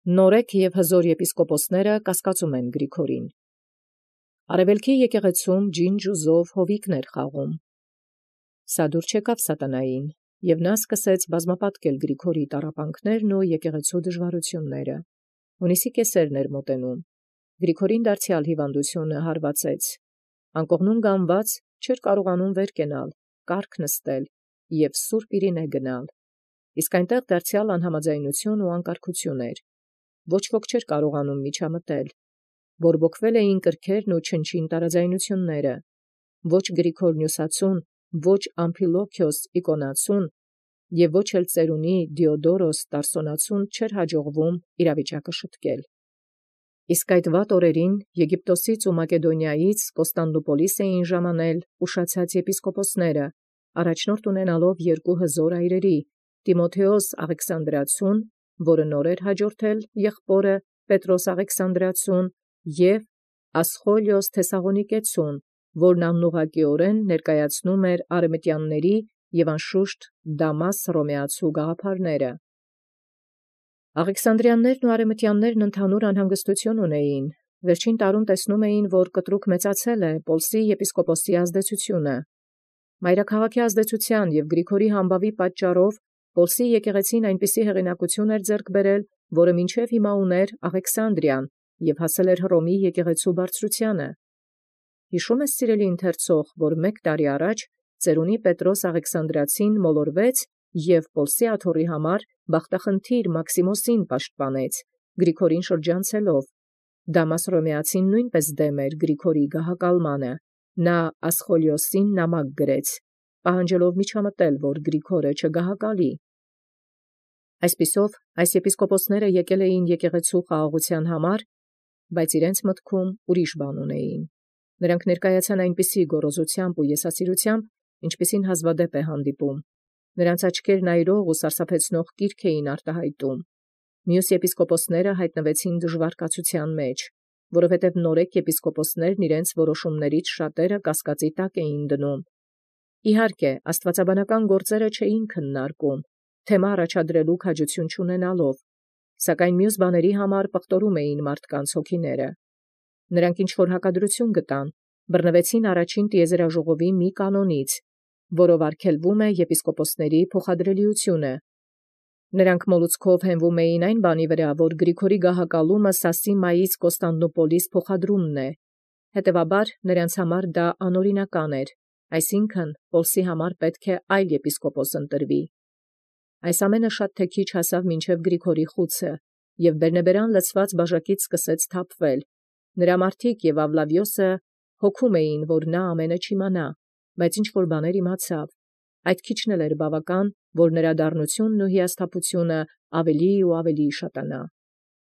Նորեկ և հզոր եպիսկոպոսները կասկածում են Գրիգորին։ Արևելքի եկեղեցում ջինջ ու զով հովիկներ խաղում։ Սա դուր չեկավ սատանային, և նա սկսեց բազմապատկել Գրիգորի տառապանքներն ու եկեղեցու դժվարությունները։ Հունիսի կեսերն էր մոտենում։ Գրիգորին դարձյալ հիվանդությունը հարվածեց։ Անկողնում գանված չէր կարողանում վեր կենալ, կառք նստել և Սուրբ Իրինե գնալ։ Իսկ այնտեղ դարձյալ անհամաձայնություն ու անկարգություն էր։ Ոչ ոք չէր կարողանում միջամտել։ Բորբոքվել էին կրքերն ու չնչին տարաձայնությունները։ Ոչ Գրիգոր Նյուսացուն, ոչ Ամփիլոքիոս Իկոնացուն և ոչ էլ ծերունի Դիոդորոս Տարսոնացուն չէր հաջողվում իրավիճակը շտկել։ Իսկ այդ վատ օրերին Եգիպտոսից ու Մակեդոնիայից Կոստանդնուպոլիս էին ժամանել ուշացած եպիսկոպոսները, առաջնորդ ունենալով երկու հզոր այրերի՝ Տիմոթեոս Աղեքսանդրացուն, որը նոր էր հաջորդել եղբորը Պետրոս Աղեքսանդրացուն, և Ասխոլիոս Թեսաղոնիկեցուն, որն անուղղակիորեն ներկայացնում էր արևմտյանների և անշուշտ Դամաս հռոմեացու գաղափարները։ Աղեքսանդրյաններն ու արևմտյաններն ընդհանուր անհանգստություն ունեին։ Վերջին տարում տեսնում էին, որ կտրուկ մեծացել է Պոլսի եպիսկոպոսի ազդեցությունը։ Մայրաքաղաքի ազդեցության և Գրիգորի համբավի պատճառով Պոլսի եկեղեցին այնպիսի հեղինակություն էր ձեռք բերել, որը մինչև հիմա ուներ Աղեքսանդրիան և հասել էր Հռոմի եկեղեցու բարձրությանը։ Հիշում ես, սիրելի ընթերցող, որ 1 տարի առաջ ծերունի Պետրոս Աղեքսանդրացին մոլորվեց և Պոլսի աթոռի համար բախտախնդիր Մաքսիմոսին պաշտպանեց, Գրիգորին շրջանցելով։ Դամաս հռոմեացին նույնպես դեմ էր Գրիգորի գահակալմանը։ Նա Ասխոլիոսին նամակ գրեց, պահանջելով միջամտել, որ Գրիգորը չգահակալի։ Այսպիսով, այս եպիսկոպոսները եկել էին եկեղեցու խաղաղության համար, բայց իրենց մտքում ուրիշ բան ունեին։ Նրանք ներկայացան այնպիսի գոռոզությամբ ու եսասիրությամբ, ինչպիսին հազվադեպ է հանդիպում։ Նրանց աչքերն այրող ու սարսափեցնող կիրք էին արտահայտում։ Մյուս եպիսկոպոսները հայտնվեցին դժվար մեջ, որովհետև նորեկ եպիսկոպոսներն իրենց որոշումներից շատերը կասկածի տակ էին դնում։ Իհարկե, աստվածաբանական գործերը չէին քննարկում, թեմա առաջադրելու քաջություն չունենալով, սակայն մյուս բաների համար պղտորում էին մարդկանց հոգիները։ Նրանք ինչ-որ հակադրություն գտան, բռնվեցին առաջին տիեզերաժողովի մի կանոնից, որով արգելվում է եպիսկոպոսների փոխադրելիությունը։ Նրանք մոլուցքով հենվում էին այն բանի վրա, որ Գրիգորի գահակալումը Սասի մայից Կոստանդնուպոլիս փոխադրումն է։ Հետևաբար նրանց համար դա անօրինական էր, այսինքն Պոլսի համար պետք է այլ եպիսկոպոս ընտրվի։ Այս ամենը շատ թե քիչ հասավ մինչև Գրիգորի խուցը, և բերնեբերան լցված բաժակից սկսեց թափվել։ Նրա մարդիկ և Ավլավիոսը հոգում էին, որ նա ամենը չիմանա, բայց ինչ-որ բաներ իմացավ։ Այդ քիչն էլ էր բավական, որ նրա դառնությունն ու հիասթափությունը ավելի ու ավելի շատանա։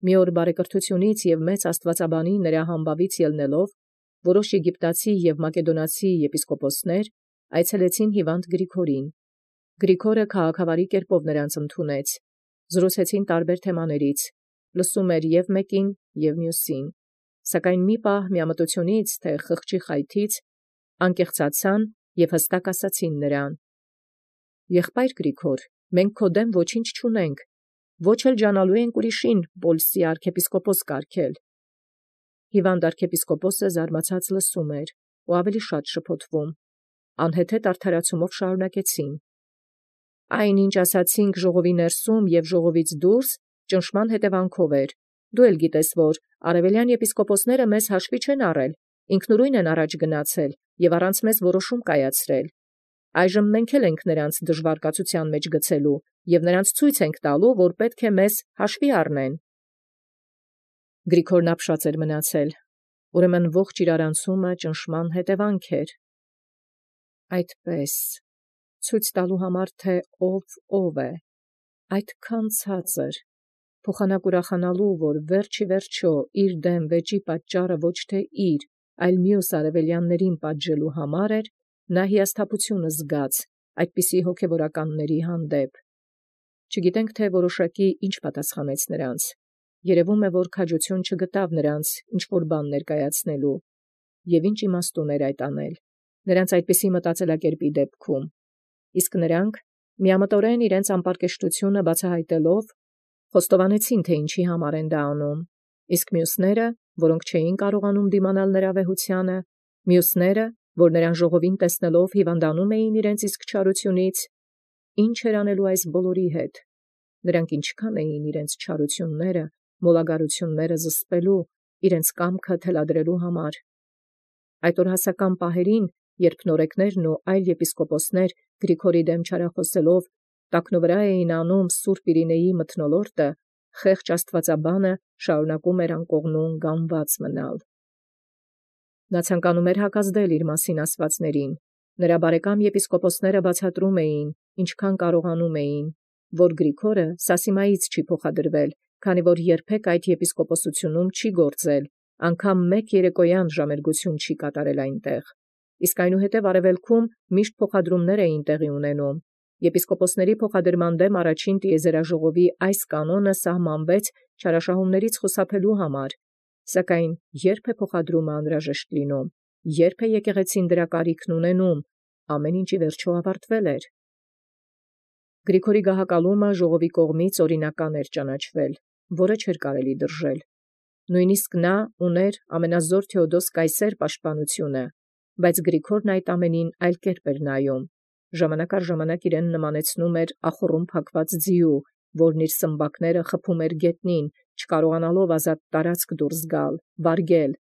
Մի օր բարեկրթությունից և մեծ աստվածաբանի նրա համբավից ելնելով, որոշ եգիպտացի և մակեդոնացի եպիսկոպոսներ այցելեցին հիվանդ Գրիգորին։ Գրիգորը քաղաքավարի կերպով նրանց ընդունեց։ Զրուցեցին տարբեր թեմաներից, լսում էր և մեկին, և մյուսին, սակայն մի պահ միամտությունից, թե խղճի խայթից, անկեղծացան և հստակ ասացին նրան. «Եղբայր Գրիգոր, մենք քո դեմ ոչինչ չունենք, ոչ էլ ջանալու ենք ուրիշին Պոլսի արքեպիսկոպոս կարգել»։ Հիվանդ արքեպիսկոպոսը զարմացած լսում էր ու ավելի շատ շփոթվում։ Անհեթեթ արդարացումով շարունակեցին. «Այն, ինչ ասացինք ժողովի ներսում և ժողովից դուրս, ճնշման հետևանքով էր։ Դու էլ գիտես, որ արևելյան եպիսկոպոսները մեզ հաշվի չեն առել, ինքնուրույն են առաջ գնացել և առանց մեզ որոշում կայացրել։ Այժմ մենք էլ ենք նրանց դժվար կացության մեջ գցելու և նրանց ցույց ենք տալու, որ պետք է մեզ հաշվի առնեն»։ Գրիգորն ապշած էր մնացել։ Ուրեմն ողջ իրարանցումը ճնշման հետևանք էր։ Այդպես, ցույց տալու համար, թե ով է, այդքան ցածր, փոխանակ ուրախանալու, որ վերջ ի վերջո իր դեմ վեճի պատճառը ոչ թե իր, այլ մյուս արևելյաններին պատժելու համար էր, նա հիասթափությունը զգաց այդպիսի հոգևորականների հանդեպ։ Չգիտենք, թե որոշակի ինչ պատասխանեց նրանց։ Երևում է, որ քաջություն չգտավ նրանց ինչ-որ բան ներկայացնելու։ Եվ ինչ իմաստ ուներ այդ անել նրանց այդպիսի մտածելակերպի դեպքում։ Իսկ նրանք, միամտորեն իրենց անպարկեշտությունը բացահայտելով, խոստովանեցին, թե ինչի համար են դա անում, իսկ մյուսները, որոնք չէին կարողանում դիմանալ նրա վեհությանը, մյուսները, որ նրան ժողովին տեսնելով հիվանդանում էին իրենց իսկ չարությունից, ինչ էր անելու այս բոլորի հետ, նրանք ինչքան էին իրենց չարությունները, մոլագարությունները զսպելու, իրենց կամքը թելադրելու համար։ Այդ օրհասական պահերին, երբ նորեկներն ու այլ եպիսկոպոսներ Գրիգորի դեմ չարախոսելով տակնուվրա էին անում Սուրբ Իրինեի մթնոլորտը, խեղճ աստվածաբանը շարունակում էր անկողնուն գանված մնալ։ Նա ցանկանում էր հակազդել իր մասին ասվածներին։ Նրա բարեկամ եպիսկոպոսները բացատրում էին, ինչքան կարողանում էին, որ Գրիգորը Սասիմայից չի փոխադրվել, քանի որ երբեք այդ եպիսկոպոսությունում չի գործել, անգամ մեկ երեկոյան ժամերգություն չի կատարել այնտեղ։ Իսկ այնուհետև արևելքում միշտ փոխադրումներ էին տեղի ունենում։ Եպիսկոպոսների փոխադրման դեմ առաջին տիեզերաժողովի այս կանոնը սահմանվեց չարաշահումներից խուսափելու համար, սակայն երբ է փոխադրումը անհրաժեշտ լինում, երբ է եկեղեցին դրա կարիքն ունենում, ամեն ինչ ի վերջո ավարտվել էր։ Գրիգորի գահակալումը ժողովի կողմից օրինական էր ճանաչվել, որը չէր կարելի դրժել։ Նույնիսկ նա ուներ ամենազոր Թեոդոս Կայսեր պաշտպանությունը, բայց Գրիգորն այդ ամենին այլ կերպ էր նայում։ Ժամանակ առ ժամանակ իրեն նմանեցնում էր ախոռում փակված ձիու, որն իր սմբակները խփում էր գետնին, չկարողանալով ազատ տարածք դուրս գալ, վարգել։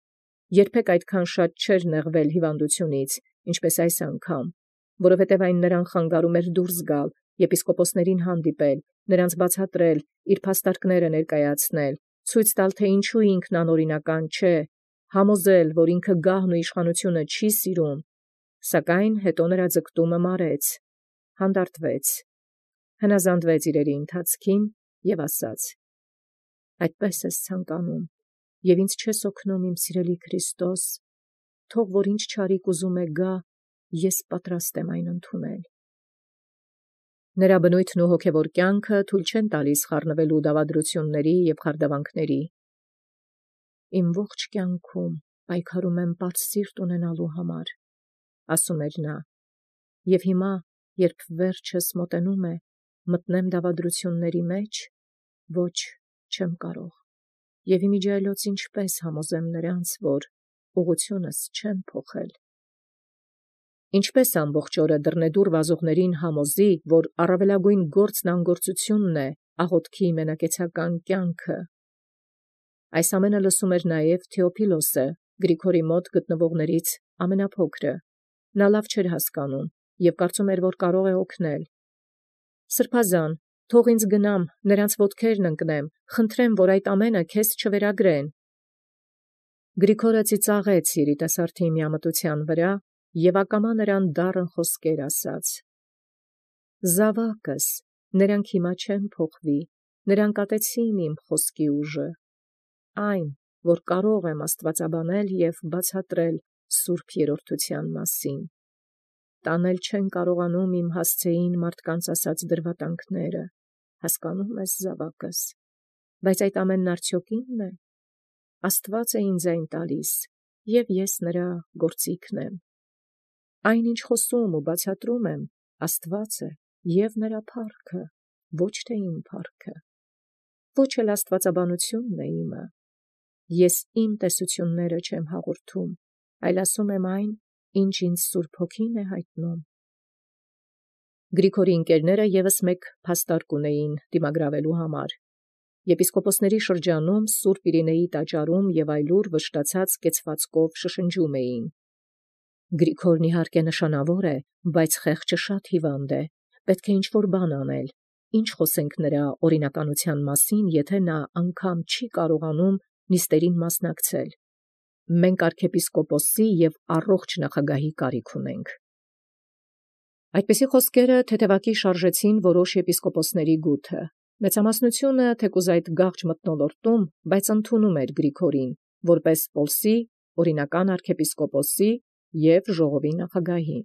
Երբեք այդքան շատ չէր նեղվել հիվանդությունից, ինչպես այս անգամ, որովհետև այն նրան խանգարում էր դուրս գալ, եպիսկոպոսներին հանդիպել, նրանց բացատրել, իր փաստարկները ներկայացնել, ցույց տալ, թե ինչու ինքն անօրինական չէ, համոզել, որ ինքը գահն ու իշխանությունը չի սիրում, սակայն հետո նրա ձգտումը մարեց, հանդարտվեց, հնազանդվեց իրերի ընթացքին և ասաց. «Այդպես ես ցանկանում, և ինձ չես օգնում, իմ սիրելի Քրիստոս, թող որ ինչ չարիք ուզում է գա, ես պատրաստ եմ այն ընդունել»։ Նրա բնույթն ու հոգևոր կյանքը թույլ չեն տալիս խառնվելու դավադրությունների և խարդավանքների։ «Իմ ողջ կյանքում պայքարում եմ պարզ սիրտ ունենալու համար», ասում էր նա, «և հիմա, երբ վերջս մոտենում է, մտնեմ դավադրությունների մեջ, ոչ, չեմ կարող, և իմիջիայլոց ինչպես համոզեմ նրանց, որ ուղղությունս չեմ փոխել։ Ինչպես ամբողջ օրը դռնեդուռ վազողներին համոզի, որ առավելագույն գործն անգործությունն է, աղոթքի մենակեցական կյանքը։ Այս ամենը լսում էր նաև Թեոփիլոսը, Գրիգորի մոտ գտնվողներից ամենափոքրը։ Նա լավ չէր հասկանում և կարծում էր, որ կարող է օգնել։ «Սրբազան, թող ինձ գնամ, նրանց ոտքերն ընկնեմ, խնդրեմ, որ այդ ամենը քեզ չվերագրեն»։ Գրիգորը ծիծաղեց երիտասարդի միամտության վրա և ակամա նրան դառն խոսքեր ասաց. «Զավակս, նրանք հիմա չեն փոխվի, նրանք ատեցին իմ խոսքի ուժը, այն, որ կարող եմ աստվածաբանել և բացատրել սուրբ երրորդության մասին։ Տանել չեն կարողանում իմ հասցեին մարդկանց ասած դրվատանքները, հասկանում ես, զավակս, բայց այդ ամենն արդյոք իմն է։ Աստված է ինձ այն տալիս, և ես նրա գործիքն եմ։ Այն, ինչ խոսում ու բացատրում եմ, Աստված է և նրա փառքը, ոչ թե իմ փառքը, ոչ էլ աստվածաբանությունն է իմը։ Ես իմ տեսությունները չեմ հաղորդում, այլ ասում եմ այն, ինչ ինձ Սուրբ Հոգին է հայտնում»։ Գրիգորի ընկերները ևս մեկ փաստարկ ունեին դիմագրավելու համար։ Եպիսկոպոսների շրջանում Սուրբ Իրինեի տաճարում և այլուր վշտացած կեցվածքով շշնջում էին. «Գրիգորն իհարկե նշանավոր է, բայց խեղճը շատ հիվանդ է, պետք է ինչ-որ բան անել, ինչ խոսենք նրա օրինականության մասին, եթե նա անգամ չի կարողանում նիստերին մասնակցել։ Մենք արքեպիսկոպոսի և առողջ նախագահի կարիք ունենք»։ Այդպիսի խոսքերը թեթևակի շարժեցին որոշ եպիսկոպոսների գութը։ Մեծամասնությունը, թեկուզ այդ գաղճ մթնոլորտում, բայց ընդունում էր Գրիգորին, որպես Պոլսի օրինական արքեպիսկոպոսի և ժողովի նախագահի։